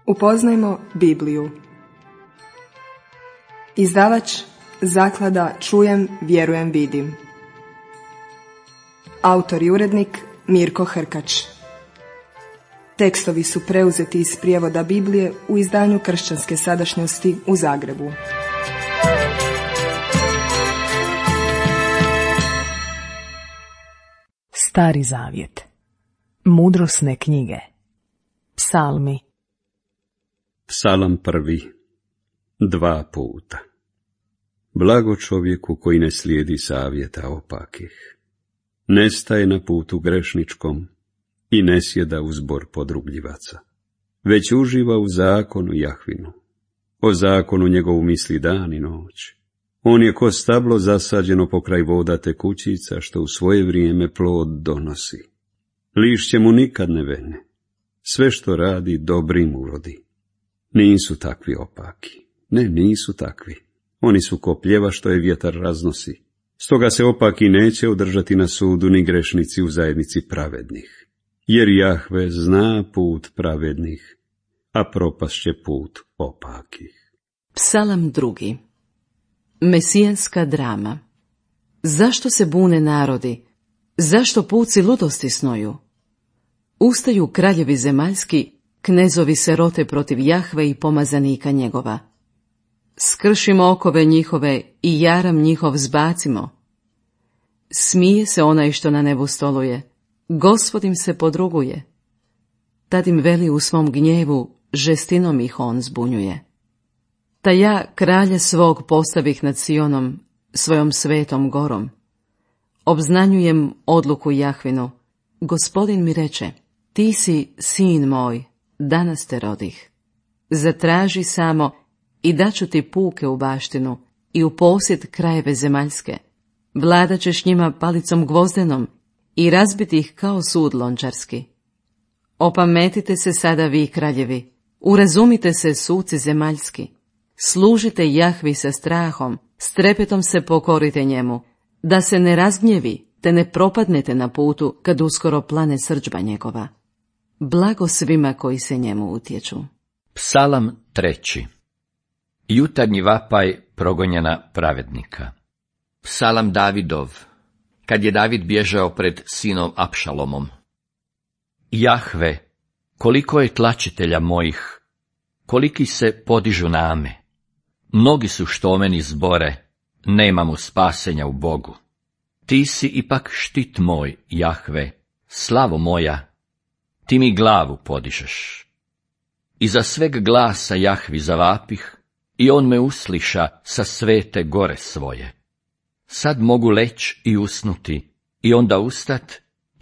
Upoznajmo Bibliju. Izdavač Zaklada Čujem, vjerujem, vidim. Autor i urednik Mirko Hrkač. Tekstovi su preuzeti iz prijevoda Biblije u izdanju Kršćanske sadašnjosti u Zagrebu. Stari zavjet. Mudrosne knjige. Psalmi. Psalam 1. 2 puta. Blago čovjeku koji ne slijedi savjeta opakih, ne staje na putu grešničkom i ne sjeda u zbor podrugljivaca, već uživa u zakonu Jahvinu. O zakonu njegovu misli dan i noć. On je ko stablo zasađeno pokraj voda tekućica, što u svoje vrijeme plod donosi. Lišće mu nikad ne vene. Sve što radi dobrim urodi. Nisu takvi opaki. Ne, nisu takvi. Oni su ko pljeva što je vjetar raznosi. Stoga se opaki neće održati na sudu ni grešnici u zajednici pravednih. Jer Jahve zna put pravednih, a propast će put opakih. Psalam 2. Mesijanska drama. Zašto se bune narodi? Zašto puci ludosti snoju? Ustaju kraljevi zemaljski, knezovi se rote protiv Jahve i pomazanika njegova. Skršimo okove njihove i jaram njihov zbacimo. Smije se onaj što na nebu stoluje, Gospod im se podruguje. Tad im veli u svom gnjevu, žestinom ih on zbunjuje. Ta ja kralja svog postavih nad Sionom, svojom svetom gorom. Obznanjujem odluku Jahvinu. Gospodin mi reče, ti si sin moj, danas te rodih. Zatraži samo i daću ti puke u baštinu i u posjed krajeve zemaljske. Vladat ćeš njima palicom gvozdenom i razbiti ih kao sud lončarski. Opametite se sada vi kraljevi, urazumite se suci zemaljski. Služite Jahvi sa strahom, s trepetom se pokorite njemu, da se ne razgnjevi, te ne propadnete na putu kad uskoro plane srdžba njegova. Blago svima koji se njemu utječu. Psalam 3. Jutarnji vapaj progonjena pravednika. Psalam Davidov, kad je David bježao pred sinom Apšalomom. Jahve, koliko je tlačitelja mojih, koliki se podižu name. Mnogi su što o meni zbore, nemamo spasenja u Bogu. Ti si ipak štit moj, Jahve, slavo moja, ti mi glavu podižeš. Iza sveg glasa Jahvi zavapih, i on me usliša sa svete gore svoje. Sad mogu leć i usnuti, i onda ustat,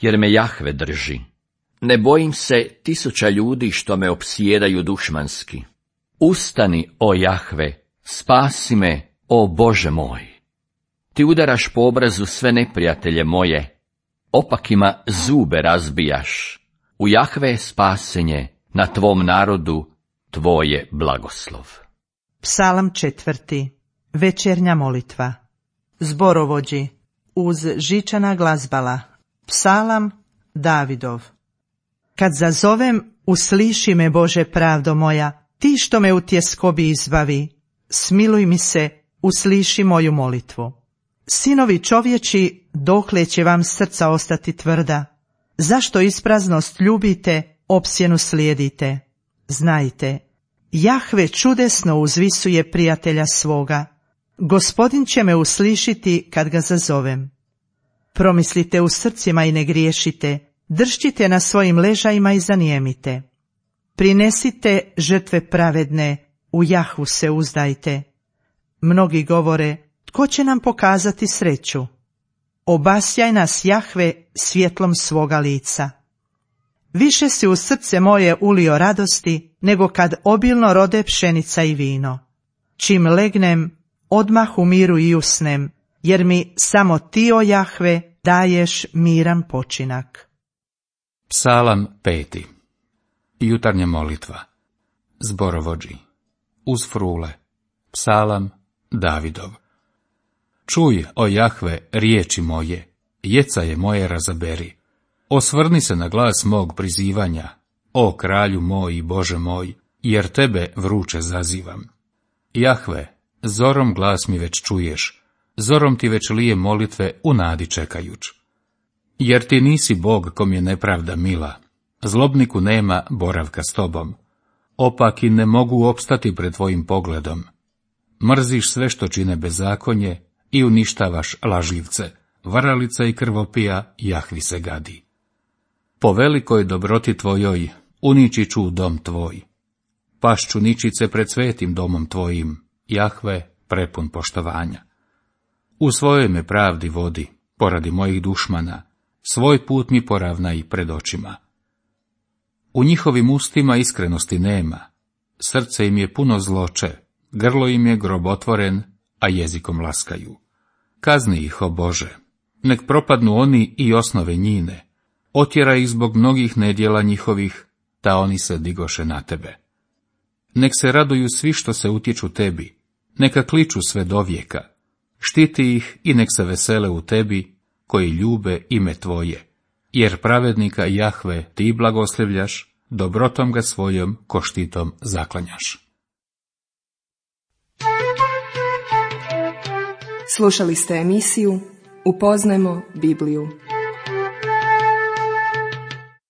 jer me Jahve drži. Ne bojim se 1000 ljudi što me opsjedaju dušmanski. Ustani, o Jahve, spasi me, o Bože moj. Ti udaraš po obrazu sve neprijatelje moje, opakima zube razbijaš. U Jahve je spasenje, na tvom narodu tvoje blagoslov. Psalam 4. Večernja molitva. Zborovođi, uz žičana glazbala. Psalam Davidov. Kad zazovem, usliši me, Bože pravdo moja, ti što me u tjeskobi izbavi, smiluj mi se, usliši moju molitvu. Sinovi čovječi, dokle će vam srca ostati tvrda? Zašto ispraznost ljubite, opsjenu slijedite? Znajte, Jahve čudesno uzvisuje prijatelja svoga. Gospodin će me uslišiti kad ga zazovem. Promislite u srcima i ne griješite, držite na svojim ležajima i zanijemite. Prinesite žrtve pravedne, u Jahvu se uzdajte. Mnogi govore, tko će nam pokazati sreću? Obasjaj nas, Jahve, svjetlom svoga lica. Više si u srce moje ulio radosti, nego kad obilno rode pšenica i vino. Čim legnem, odmah u miru i usnem, jer mi samo ti, o Jahve, daješ miran počinak. Psalam 5. Jutarnja molitva. Zborovođi, uz frule. Psalam Davidov. Čuj, o Jahve, riječi moje, jecaje moje razaberi. Osvrni se na glas mog prizivanja, o kralju moj i Bože moj, jer tebe vruće zazivam. Jahve, zorom glas mi već čuješ, zorom ti već lije molitve u nadi čekajuć. Jer ti nisi Bog kom je nepravda mila, zlobniku nema boravka s tobom, opaki ne mogu opstati pred tvojim pogledom. Mrziš sve što čine bezakonje i uništavaš lažljivce, varalica i krvopija Jahvi se gadi. Po velikoj dobroti tvojoj unići ću dom tvoj, pašću ničice pred svetim domom tvojim, Jahve prepun poštovanja. U svojoj me pravdi vodi, poradi mojih dušmana, svoj put mi poravnaj pred očima. U njihovim ustima iskrenosti nema, srce im je puno zloče, grlo im je grobotvoren, a jezikom laskaju. Kazni ih, o Bože, nek propadnu oni i osnove njine, otjeraj ih zbog mnogih nedjela njihovih, ta oni se digoše na tebe. Nek se raduju svi što se utječu tebi, neka kliču sve dovijeka, štiti ih i nek se vesele u tebi, koji ljube ime tvoje, jer pravednika Jahve ti blagoslivljaš, dobrotom ga svojom ko štitom zaklanjaš. Slušali ste emisiju Upoznajmo Bibliju.